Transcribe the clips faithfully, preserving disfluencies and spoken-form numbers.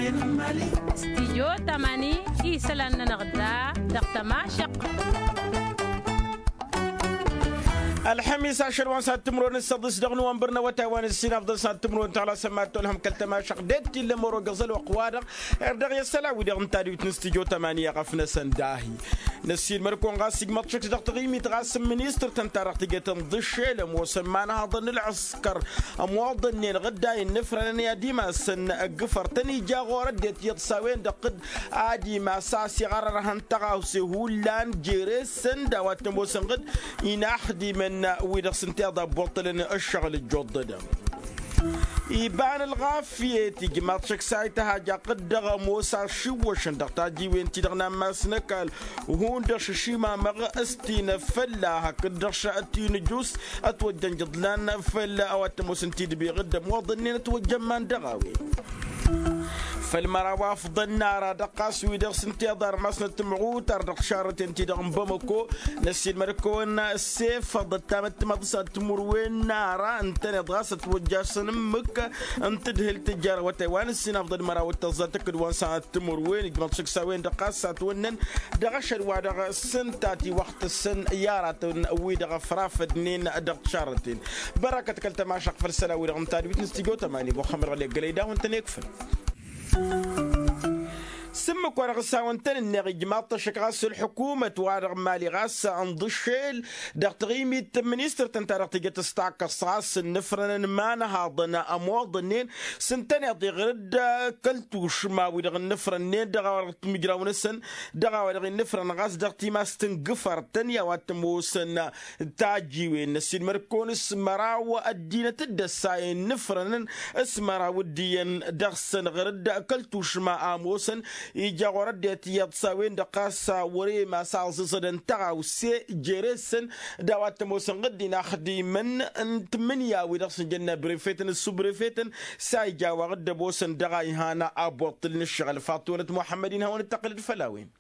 Stijyo tamani isălan-nănăɣ da dăɣ-tămašăɣt. Ălxămis ašăl wa n-săt timǝrwen s-săḍis dăɣ-nowănbăr n-awătay wa n-ǝssin afḍăn săt timǝrwen tala sămmat tolhăm kăl-tămašăɣt d-tillăm orogăẓăl wăqq-wa-dăɣ. Erdăɣ i-ăssăla wi-dăɣ n-tadwit n-stijyo tamani a ɣăf-năsăn dahi năssiilmăd-kăwăn ɣas ijmăḍ šăkk dăɣ-taɣimit ɣas n-ministăr-tăn-ta-dăɣ tǝjăt ǝnḍǝššel ămoosăn imanhaḍăn n-ălɣǝskăr ămoḍănnen ɣǝdday ǝnnǝfrănăn i-ad-imassăn ǝggǝfăr-tăn ija ɣur-ăddinăt iyyăḍ s-a-wen-dăɣ ɣǝd ad-imass a-s iɣărăr ad-hăn tăɣawse hullan jere-săn d-a-wa t-ămoosăn ɣǝd inaxdimăn wi-dăɣ s-ǝnta iḍa ăbbuṭṭălăn ǝššăɣǝl ǝjjuḍ-dăɣ. Iba n-ălɣafyăt ijmaḍ šăkk s-a ităhaj aqǝd dăɣ-ămoos ašiwwăšăn dăɣ-tajiwen-ti-dăɣ n-ammas n-ăkall hundăɣ šăšimamăɣ s-tinăf fălla hakd-dăɣ šăt tinǝjus ătwăjjăn jăḍlan făll-a-wa t-ămoosăn tidbiɣ d-ămoḍănnen ătwăjjăn man dăɣ-a-wen. Făll-măraw afḍăn n-ara dăɣ-ɣas wi-dăɣ s-ǝnta iḍa ărmasnăt timɣutar dăɣ-tišarrăten-ti-dăɣ n-bamăko năssiilmăd-kăwăn s-efăḍăt tamăttămaḍ s-ad-timǝrwen n-ara ǝntăneḍ ɣas ătwăjjasăn ǝmmǝk n-tadhǝlt tǝjjar awătay wa n-ǝssin afḍăn măraw d-tăẓẓa tǝkkǝd wa n-sănat timǝrwen ijmăḍ šăkk s-a-wen-dăɣ ɣas s-ad-tawănnăn dăɣ-ašăl wa dăɣ-s ǝnta a tiwăqtăsăn i-aratăn wi-dăɣ ăfrafădnen dăɣ-tišarrăten. Bărăkăt kăl-tămašăɣt făll-isălan-wi-dăɣ n-tadwit n-stujo tămani muxămmăd ɣăli ăggălăy d-a-wen-tăn-ikfăn. S-ǝmmǝk-wa-dăɣ s-a-wen-tăn-ǝnneɣ ijmaḍ-t ăššăk ɣas ălḥukumăt-wa-dăɣ n-mali ɣas ănḍǝššel dăɣ-taɣimit n-ministăr-tăn ta dăɣ-tǝjăt s-takkăs ɣas ǝnnǝfrănăn imanhaḍăn ămoḍănnen s-ǝntăneḍ iɣrǝd kăl-tušma-wi-dăɣ ǝnnǝfrănnen dăɣ-a-wa dăɣ-timǝjraw-năsăn dăɣ-a-wa dăɣ-innǝfrăn ɣas dăɣ-timast n-gǝfăr-tăn i-a-wa t-ămoosăn tajiwen năssiilmăd-kăwăn s-măraw ăddinăt dd-ăssayăn ǝnnǝfrănăn s-măraw dd-iyyăn dăɣ-săn ɣǝrǝd kăl-tušma a ămoosăn ija ɣur-ăddinăt iyyăḍ s-a-wen-dăɣ ɣas wăr-e ma s-aẓǝẓădăn tăɣawse jere-săn d-a-wa t-ămoosăn ɣǝddin axdimăn n-tǝmmǝnǝya-wi-dăɣ s-nǝjănna brefetăn d-subrefetăn s-a ija wa ɣǝdd-ămoosăn dăɣ-a ihan aboṭṭǝl n-ǝššăɣǝl faṭṭonăt muḥămmăd-in hawăn-dd-tăqqǝlăd făll-a-wen.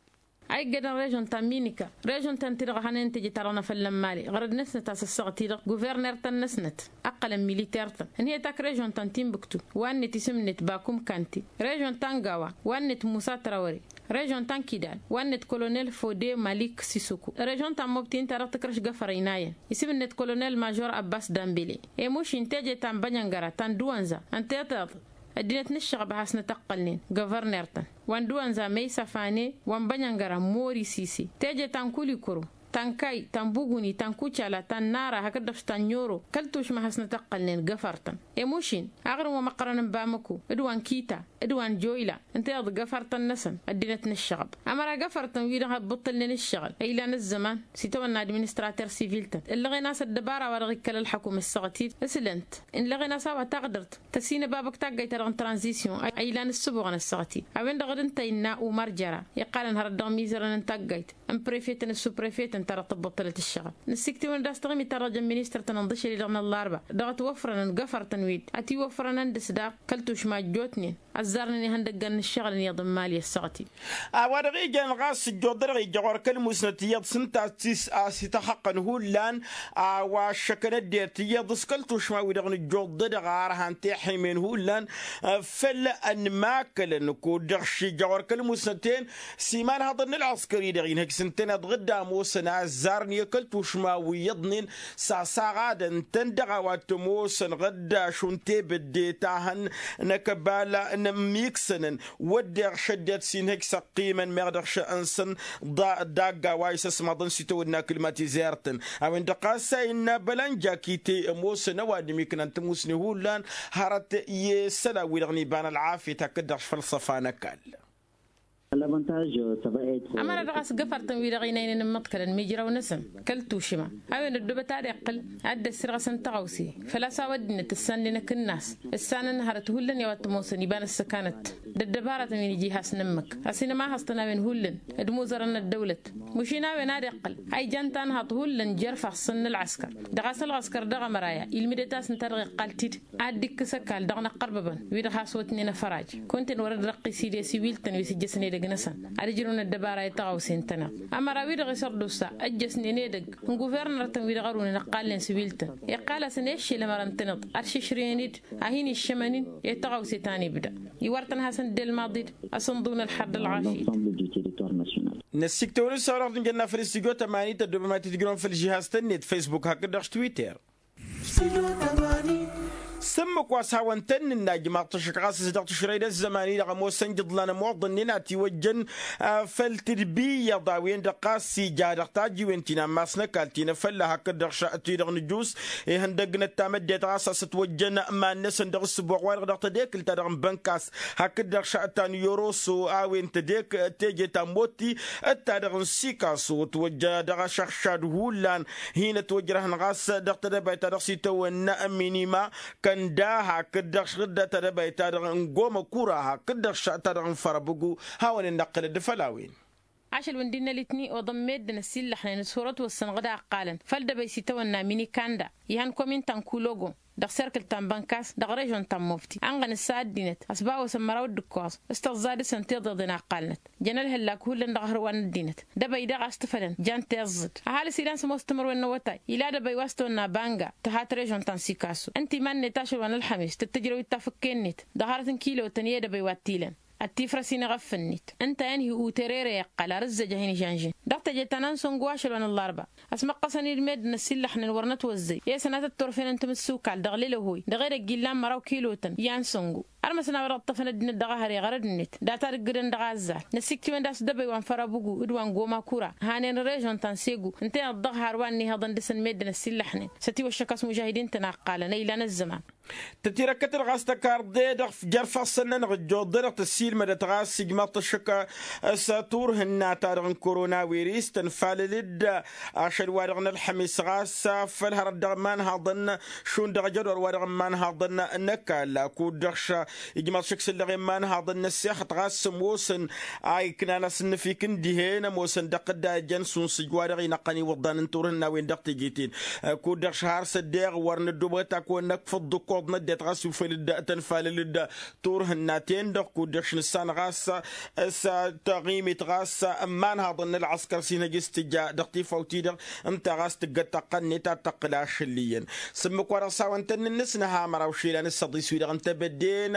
A iggădăn režon ta n-minika režon ta ǝnta-dăɣ a hanăyăn teje-ta-dăɣ n-afăl n-mali ɣărăd-năsnăt a-s ăssaɣăt-i-dăɣ guverner-tăn-năsnăt ǝqqălăn militer-tăn ǝnhăyăt ak režon ta n-tinbǝktu wa n-net isǝm-net bakum kanti režon ta n-gawa wa n-net musa trawăre režon ta n-kidal wa n-net kolonel fode malik sisuku režon ta n-mobti ǝnta-dăɣ tǝkrăš găfăr ăynayăn isǝm-net kolonel mažor ăbbas dambele. Emušin teje ta n-bănjăngăra ta n-dăwănza ǝnta i-tiḍ ăddinăt n-ǝššăɣăb a has-nătăqqălnen găvărner-tăn wa n-dăwănza măysăfane wa n-bănjăngăra mori sise teje ta n-kulikuru ta n-kay ta n-buguni ta n-kucala ta n-nara hakd-dăɣ ta n-nyoro kăl-tušma a has-nătăqqălnen găfăr-tăn. Emušin aɣrǝm wa măqqărăn n-bamăko d-wa n-kita d-wa n-joyla ǝnta iḍ găfăr-tăn-năsăn ăddinăt n-ǝššăɣăb ămăra găfăr-tăn wi-dăɣ ăbbuṭṭălnen ǝššăɣǝl ăylan ăzzăman s-itawănna administrater sivil-tăn ǝllăɣen a-s ăddăbara wa dăɣ-ikkăl ălxăkum ăssaɣăt-dd ǝslăn-t ǝllăɣen a-s a-wa taɣdărt tăsinăbabăk taggayt-ta-dăɣ n-tranzisyon a ilan ǝssǝbuɣăn ăssaɣăt-dd a-wen-dăɣ d-ǝnta innă umăr jăra iqqalăn hărăt dăɣ-imizărăn n-taggayt n-prefetăn d-suprefetăn ta dăɣ-tăbbuṭṭălăt ǝššăɣǝl. Nǝssiktiwăn-dd a-s taɣimit ta dăɣ-jăn ministăr-tăn ǝnḍǝšăl-i-dăɣ n-ăllarba dăɣ-ătwăfrănăn găfăr-tăn wi-dd ătiwăfrănăn dăɣ-s daɣ kăl-tušma ăjjootnen ăzzarnen ihăndăggan n-ǝššăɣǝl n-iyyăḍ n-imali ăssaɣăt-dd. A-wa-dăɣ ijăn ɣas ǝjjuḍ-dăɣ ijăɣ wăr kăl-musnăt iyyăḍ s-ǝnta a-s ităxăqqăn hullan a-wa ăššăkăn ăddinăt iyyăḍ s-kăl-tušma-wi-dăɣ nǝjjuḍ-dăɣ ar han tiḥimen hullan făll-ănmakălăn kud-dăɣ šijăɣ wăr kăl-musnăt-en s-imanhăḍăn n-ălɣăskăr-i-dăɣ inhăj s-ǝntăneḍ ɣǝdda ămoosăn a ăzzarăn i-kăl-tušma wi iyyăḍnen s-asaɣadăn-tăn dăɣ-a-wa t-ămoosăn ɣǝdda šund tebădde ta hăn n-akăbal n-ămmiksănăn wădden šădded s-inhăj s-ăqqimăn meɣ dăɣ-šănsăn dagg-a-wa isăsmaḍăn s-itawădna kǝlmatizert-tăn. A-wen-dăɣ ɣas a innă băla n-jakite ămoosăn ăwadǝm iknan tămusne hullan hărăt i-isălan-wi-dăɣ n-iba n-ălɣafyăt hakd-dăɣ făll-săfa n-ăkall. Ămăra dăɣ-a-s găfăr-tăn-wi-dăɣ inăynăn n-imǝḍkălăn mijraw-năsăn kăl-tušǝma a-wen ăddoobăt ad-iqqǝl ad-dd-ăssirɣăsăn tăɣawse făl-a-s a-wa ăddinăt ǝssanlen akǝnnas ǝssanăn hărăt hullan i-a-wa t-ămoosăn iba n-ăssăkanăt d-ăddăbaratăn wi n-iji has-nǝmmǝk ăsinămahăẓ-tăn a-wen hullan d-imuzărăn n-ăddăwlăt. Mušin a-wen ad-iqqǝl a ijan tanhaḍt hullan jer-ifassăn n-ălɣăskăr dăɣ-a-s ălɣăskăr dăɣ-ămăra ya ilmǝdăt-asăn ta dăɣ-iqqal-t-dd ad-dd-ikkǝs ăkall dăɣ-inăqqărbăbăn wi-dăɣ has-wătnen afăraj. Kunta-en wăr-dd-răqqis idǝs iwil-tăn wi s-ijjăsnen edăgg-năsăn ad-ǝjrǝwăn ăddăbara i-tăɣawse ǝntăneḍ ămăra wi-dăɣ isărdusa ăjjăsnen edăgg n-guvernăr-tăn wi-dăɣ ărwǝnăn ăqqalnen s-iwil-tăn iqqal-asăn eššel ămăra ǝntăneḍ ad-šǝšrǝyăn-dd a hin-iššămăn-in i-tăɣawse ta n-ibda. iwar-tăn hasăn-dd-elmaḍi-dd asǝnḍǝw n-ălḥăr d-ălɣašit. Năssiktăwăn-dd s-a-wa-dăɣ tǝnjănna făll-stujo tămanit ăddoobăm ad-t-tǝjrăwăn făll-žihaz-tăn-net facebook hakd-dăɣ s-twitter. S-ǝmmǝk wa s-hawăn-tăn-nǝnna ijmaḍ-t ăššăk ɣas s-dăɣ-tǝšrăy d-ăzzăman-i-dăɣ ămoosăn ijǝḍlan ămoḍănnen a tiwăjjăn făll-tǝdbiyăḍ a-wen-dăɣ ɣas ija dăɣ-tajiwen ti n-ammas n-ăkall ti n-afălla hakd-dăɣ ti-dăɣ nǝjus ihăndăgg n-ăttaam ăddinăt ɣas a-s ătwăjjăn iman-năsăn dăɣ-ǝssǝboɣ-wa-dăɣ dăɣ-tedekǝlt-ta-dăɣ n-bănkas hakd-dăɣ ta n-yoroso a-wen tedek teje ta n-motti d-ta-dăɣ n-sikaso ătwăjja dăɣ-ašăɣšad hullan hin-ătwăjrăhăn ɣas dăɣ-tedăbayt ta dăɣ-s itawănna n-minima kănda hakd-dăɣ š-dd-tedăbayt ta dăɣ-n gomăkura hakd-dăɣ ta dăɣ-n fărăbǝgu. Hawăn-dd-năqqǝlăd făll-a-wen. Ašăl wi n-dd-innă litni oḍăn meddǝn ăsillăxnen s-hurăt wăssăn ɣǝd a ǝqqalăn făll-dăbăy s-itawănna minikanda ihăn komin ta n-kulogo dăɣ-serkǝl ta n-bănkas dăɣ-režon ta n-mofti ănɣăn ǝssa ăddinăt ăsbawăsăn măraw d-ǝkkoẓ s-tăẓẓa dăɣ-săn tiḍeḍen a ǝqqalnăt jăn ălhăllak hullan dăɣ-ahărwa n-ăddinăt. Dăbăy-dăɣ a-s tǝfălăn jan tiẓẓǝd ăhalǝs ilan sămoos timǝrwen n-awătay ila dăbăy wa s-tawănna banga tǝhat režon ta n-sikasu ǝnta iman-net ašăl wa n-ălxămis tǝttǝjrăw d-tafǝkke-net dăɣ-hărăt n-kilotăn i-edăbăy wa t-ilăn ătifrăs-in iɣăff-net ǝnta a inhi uterere iqqăl ar ǝzzăj a hin-ižănžǝn dăɣ-teje ta n-ansăngu ašăl wa n-ăllarba. Ăsmăqqăsăn-dd meddǝn ăsillăxnen wăr nătwăzzăy i-sănatăt turfen n-timǝssukal dăɣ-lelăhoy dăɣ-edăgg illan măraw kilotăn i-ansăngu. Ărmăsăn a-wa dăɣ-ǝṭṭăfăn ăddinăt dăɣ-ehăre ɣărăd-net data d-ǝggǝdăn dăɣ-azzal năsiktǝwăn d-a-s dăbăy wa n-fărăbǝgu d-wa n-gomăkura hanen režon ta n-segu ǝnta-en ăḍḍăɣ har wa n-ihăḍăn dăɣ-săn meddǝn ăsillăxnen s-ătiwăššăk a-s mužahidin-tăn a ǝqqalăn a ilan ăzzăman. Tătirăkkătăd ɣas tăkarḍe-dăɣ jer-ifassăn-nănăɣ ǝjjuḍănăɣ tăsilmădăt ɣas ijmaḍ-t ăššăk s-turhǝnna-ta-dăɣ n-koronawiris tănfalăl-dd ašăl-wa-dăɣ n-ălxămis ɣas făll-hărăt dăɣ-imanhaḍăn šund dăɣ-ajădor-wa-dăɣ n-imanhaḍăn n-ăkall kud-dăɣ š-ijmaḍ šăkk s-ǝllăɣen imanhaḍăn n-ăssexăt ɣas s-ămoosăn a iknan asǝnnǝfik n-dihen ămoosăn dăɣ-tǝdda ijăn sunsǝj-wa-dăɣ inăqqăn iwǝḍḍan n-turhǝnna-wen dăɣ-teje-ten. Kud-dăɣ šăhar s-ăddeɣ wăr nǝddubăt ad-kăwăn-năkfăḍ d-ǝkkoḍ n-ăddinăt ɣas ufăl-dd tănfalăl-dd turhǝnna-ten-dăɣ kud-dăɣ š-nǝssan ɣas s-taɣimit ɣas n-imanhaḍăn n-ălɣăskăr s-inhăj s-tǝja dăɣ-tifawt-i-dăɣ ǝnta ɣas tǝggăt taqqăn-net ad-tăqqǝl ašăl iyyăn. S-ǝmmǝk wa dăɣ-s hawăn-tăn-nǝnnǝsnăha măraw išilan s-săḍis-wi-dăɣ n-tebădden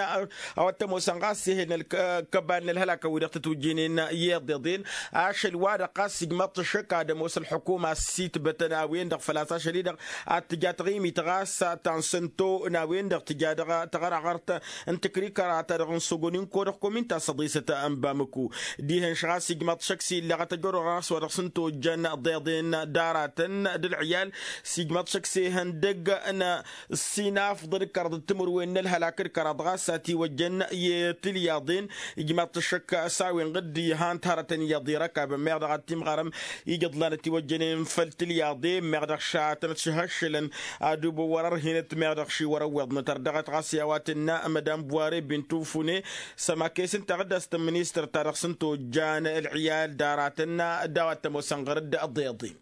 a-wa t-ămoosăn ɣas ih'-en ălkăbal n-ălhălakăn-wi-dăɣ tătwǝjjǝynen i-iḍeḍen ašăl-wa-dăɣ ɣas ijmăḍ-t ăššăk ad-ămoos ălḥukuma s-itbătăn a-wen-dăɣ făl-a-s ašăl-i-dăɣ ad-tǝja taɣimit ɣas ta n-sănto n-a-wen-dăɣ tǝja dăɣ-taɣărăɣărt n-tǝkrikăra ta dăɣ-n sogoninko dăɣ-komin ta săḍisăt n-bamăku. Dihen-š ɣas ijmăḍ-t šăkk s-illăɣăt ăjoror ɣas wa dăɣ-s n-tojjăn ḍeḍen d-aratăn d-ălɣiyal s-ijmăḍ-t šăkk s-ehăndăg n-sinafḍăd d-kăraḍ d-timǝrwen n-ălhălak d-kăraḍ ɣas a tiwăjjăn i-tilyaḍen. Ijmăḍ-t šăkk s-a-wen ɣǝddi han-t hărătăn iyyăḍ irăkabăn meɣ dăɣ-ad-timɣarăm ijăḍlan ătiwăjjănen făll-tilyaḍen meɣ dăɣ-šatăn ătšăhăššălăn ad-ubǝwwăr ărhinăt meɣ dăɣ-šiwăr ăwweḍnăt ărdăɣăt ɣas i-a-wa tǝnna mădam buware bintufune. Sămakes ǝnta ɣǝdda s-tămmǝnistăr ta dăɣ-s n-tojjan ălɣiyal d-aratăn d-a-wa t-ămoosăn ɣăr-dd ăḍeḍen.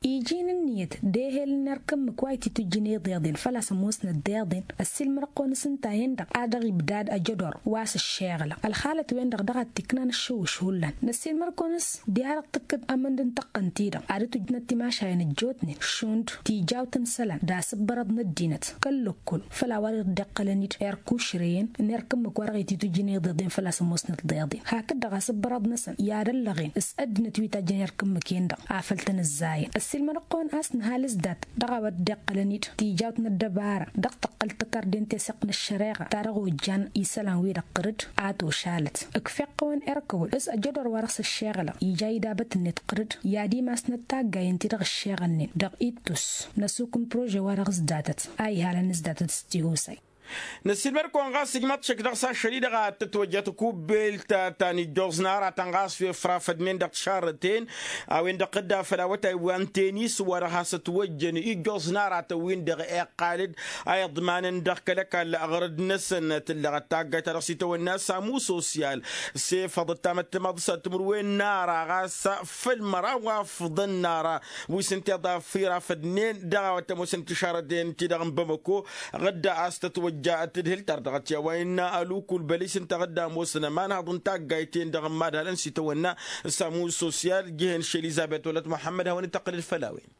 Iji n-ǝnniyăt d-ehel n-erk ǝmmǝk wa ititǝjjǝn iḍeḍen făl-a-s ămoosnăt d-iḍen ăssiilmăr-kăwăn s-ǝnta-en-dăɣ a dăɣ-ibdad ăjădor wa s-ǝššeɣlăɣ ălxalăt-wen-dăɣ dăɣ-ad-t-iknan ǝššǝwwǝš hullan. Năssiilmăr-kăwăn s-diha-dăɣ tǝkkǝd amǝnd n-tăqqăn-ti-dăɣ ad-dd-tǝjnăt timašayen ăjjootnen šund tijawt n-isălan d-asǝbbărăḍ n-ăddinăt kăl-lăkkul făll-a-wa dăɣ-dd-iqqălăn-dd erk ušrăyăn n-erk ǝmmǝk wa dăɣ-ititǝjjǝn iḍeḍen făl-a-s ămoosnăt d-iḍen hakd-dăɣ asǝbbărăḍ-năsăn i-ad-ăllăɣen s-ăddinăt wi tajjăn erk ǝmmǝk-en-dăɣ afăl tăn-ǝzzayăn ăssiilmăd-kăwăn a-s nǝha alǝzdat dăɣ-a-wa dd-iqqălăn-dd tijawt n-ăddăbara dăɣ-tăqqăl tăkărdent i-săqq n-ăššăreɣa ta dăɣ-ojjan isălan-wi-dăɣ ɣǝr-dd. A tošalăt ǝkfeɣ-kăwăn erk ăwăl s-ăjădor wa dăɣ-s ǝššeɣlăɣ ija idabăt-net ɣǝr-dd i-ad-imasnăt taggayen-ti-dăɣ ǝššeɣălnen dăɣ-ittus n-ăsuk n-prože wa dăɣ-s datăt a ihalăn s-datăt s-tihusay. Năssiilmăd-kăwăn ɣas ijmăḍ-t šăkk dăɣ-s ašăl-i-dăɣ a tătwăjja takubbelt ta n-ijjoẓ n-aratăn ɣas wi ăfrafădnen dăɣ-tišarrăten a-wen-dăɣ tădda făll-awătay wa n-tenis wa dăɣ-has-ătwăjjăn ijjoẓ n-aratăn-win-dăɣ iqqal-dd a iḍmanăn dăɣ-kăl-ăkall ɣărăd-năsăn tǝllăɣăt taggayt ta dăɣ-s itawănna samu sosyal s-efăḍ ăttamăttămaḍ s-ad-timǝrwen n-ara ɣas făll-măraw afǝḍăn n-ara wi s-ǝnta iḍa firafădnen dăɣ-a-wa t-ămoosăn tišarăten-ti-dăɣ n-bamăko. Ɣǝdda a-s tătwăjja tǝdhǝl tardăɣăt i-a-wa innă ălukul bălis ǝnta ɣǝdda ămoosăn ămanhaḍ n-taggayt-en-dăɣ n-imadhalăn s-itawănna samu sosyal jihen š-elizăbet wălăt muḥămmăd hawăn-dd-tăqqǝlăd făll-a-wen.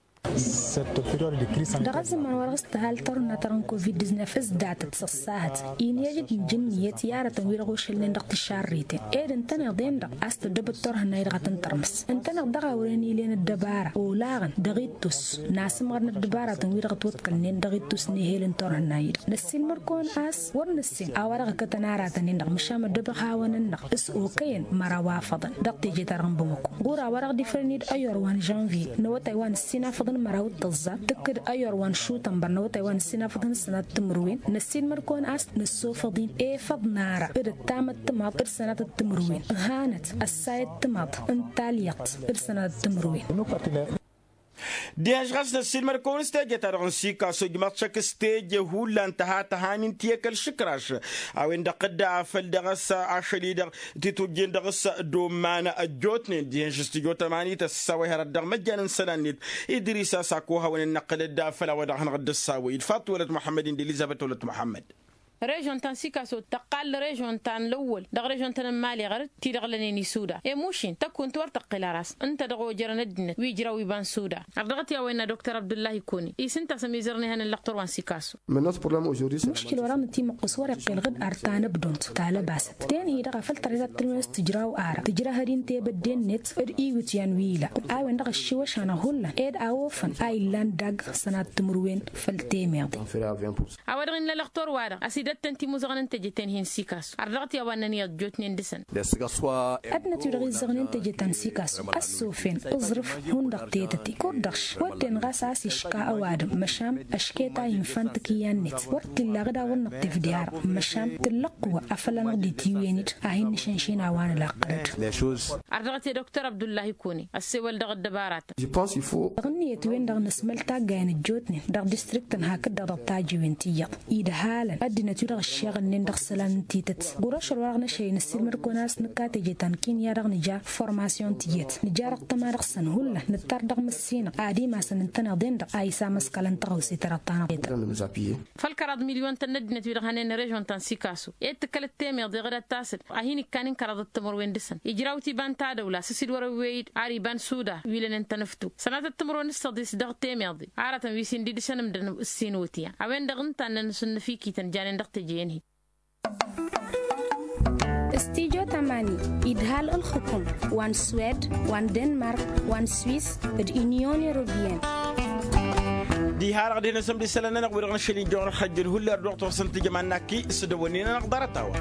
Dăɣ-ăzzăman wa dăɣ-s tǝhal tărhǝnna-ta-dăɣ n-covid-diznef ǝzdatăt s-ăṣṣahăt. Inhăj d-injǝnniyăt i-aratăn wi-dăɣ ošălnen dăɣ-tišarriten ed ǝntăneḍ-en-dăɣ a-s tăddăbăt turhǝnna-i-dăɣ a tăn-tărmǝs. Ǝntăneḍ daɣ a wărăn ilen ăddăbara olaɣăn dăɣ-ittus n-asǝmɣărăn ăddăbaratăn wi-dăɣ ătwăḍkălnen dăɣ-ittus n-ehel n-turhǝnna-i-dăɣ. Năssiilmăr-kăwăn a-s wăr nǝssin a-wa dăɣ-ǝkkătăn aratăn-in-dăɣ măšan ăddăbăɣ hawăn-ǝnneɣ s-okăyăn măraw afăḍăn dăɣ-teje-ta-dăɣ n-bamăko. Ɣur-a-wa dăɣ-dd-ifrăn-dd ăyyor wa n-žănviye n-awătay wa n-ǝssin afăḍăn măraw d-tăẓẓa tǝkkǝd ăyyor wa n-šutănbăr n-awătay wa n-ǝssin afăḍăn s-sănat timǝrwen. Năssiilmăr-kăwăn a-s năssofăḍ-in efăḍ n-ara d-ăttamăttămaḍ d-sănat timǝrwen ǝhanăt ăssayăt tămaḍ n-talyăḍt d-sănat timǝrwen. Dihen-š ɣas năssiilmăd-kăwăn s-teje-ta-dăɣ n-sikaso ǝjmăḍ šăkk s-teje hullan tăha tăhamin ti-e kăl-išǝkraš a-wen-dăɣ tǝdda afăl dăɣ-s ašăl-i-dăɣ titujjen dăɣ-s. Domman ăjjootnen dihen-š s-tijot ămanit ăssawăy hărăt dăɣ-măjjan n-isălan-net idris a-s ako hawăn-dd-năqqǝlăd afăl a-wa dăɣ-hanăɣ-dd-ăssawăy d-faṭṭu wălăt muḥămmăd-in d-elizăbăt wălăt muḥămmăd. Režon ta n-sikaso tăqqal režon ta n-lăwwăl dăɣ-režon-tăn n-imali ɣărăt ti-dăɣ lănen isuda i-mušin tăkkunt wăr tăqqǝl ara a-s ǝnta dăɣ-ojărăn ăddinăt wi ǝjraw iba n-suda. Ardăɣăt i-a-wa innă doktor abdullahi kuni isǝnta a-s ămizărăn ihăn n-lăqtor wa n-sikaso. Muškil wa dăɣ-nătimăqqǝs wăr-iqqel ɣǝd ar tanăbdont talăbasăt tenhi-dăɣ a făl tărăy ta t-tǝnwăyăs tǝjraw ara tǝjrăhăd-in tebădde-net d-iwǝtyan wi ila a-wen-dăɣ ăššiwăšan ăhullăn ed a ofăn a illan dagg sănat timǝrwen făll-temeḍe. A-wa dăɣ-innă lăqtor-wa-dăɣ a-s idătten timuzăɣăn n-teje tenhi n-sikaso ardăɣăt i-a-wa ǝnnăn iyyăḍ ăjjootnen dăɣ-săn. Ăddinăt wi-dăɣ izzăɣnen teje ta n-sikaso ăssofen ǝẓrǝf hundăɣ tetăte kud-dăɣ š-wădden ɣas a-s iška ăwadǝm măšan ăšket a infan tǝkǝyya-net wăr t-illa ɣǝd a-wăn-năṭṭef d-i-arăɣ măšan tǝllăqq wa afăl anăɣ-dd-itiwǝyăn-dd a hin-nǝšănšin a-wa nǝlaqqăr-dd. Ardăɣăt i-doktor abdullahi kuni ăssewăl dăɣ-ăddăbaratăn. Dăɣ-ǝnniyăt-wen-dăɣ nǝsmăl taggayăn ăjjootnen dăɣ-distriktăn hakd-dăɣ dăɣ-tajiwen ti iyyăḍ idhalăn ăddinăt-wi-dăɣ ǝššeɣălnen dăɣ-isălan n-tităt. Ɣur-ašăl wa dăɣ-năšăy năssiilmăd-kăwăn a-s nǝkka teje ta n-kinya dăɣ-nǝja formasyon tiyyăt nǝja dăɣ-tăma dăɣ-săn hullan nǝttar dăɣ-măssinăɣ ad-imasăn ǝntăneḍ-en-dăɣ a isamăskălăn tăɣawse ta dăɣ-tanăɣ-tetăt. Făll-kăraḍ milyon-tăn n-ăddinăt wi-dăɣ hănen režon ta n-sikaso ed tǝkkălăt temeḍe ɣǝdat tasǝd a hin-ikkanin kăraḍăt timǝrwen dăɣ-săn ijraw-t iba n-tadăwla s-asǝd wăr-ăwwey-dd ar iba n-suda wi lănen tănăftu sănatăt timǝrwen s-tăḍis dăɣ-temeḍe aratăn wi s-indidǝšăn ǝmdăn ǝssin wǝtyan a-wen-dăɣ ǝnta a ǝnnăn s-ǝnnăfikităn janen dăɣ-teje-en-hi. Stijo tamani idhal ǝlxǝkum wa n-swed wa n-denmark wa n-swis d-inyon europeyăn. Diha-dăɣ dehăn asǝmd isălan-nănăɣ wi-dăɣ nǝššăl injăwăn ălxăjjăl hullan ădduɣ-t ɣur-săn tǝjăman n-akki s-dăwănnin-nănăɣ ḍarăt-a-wa.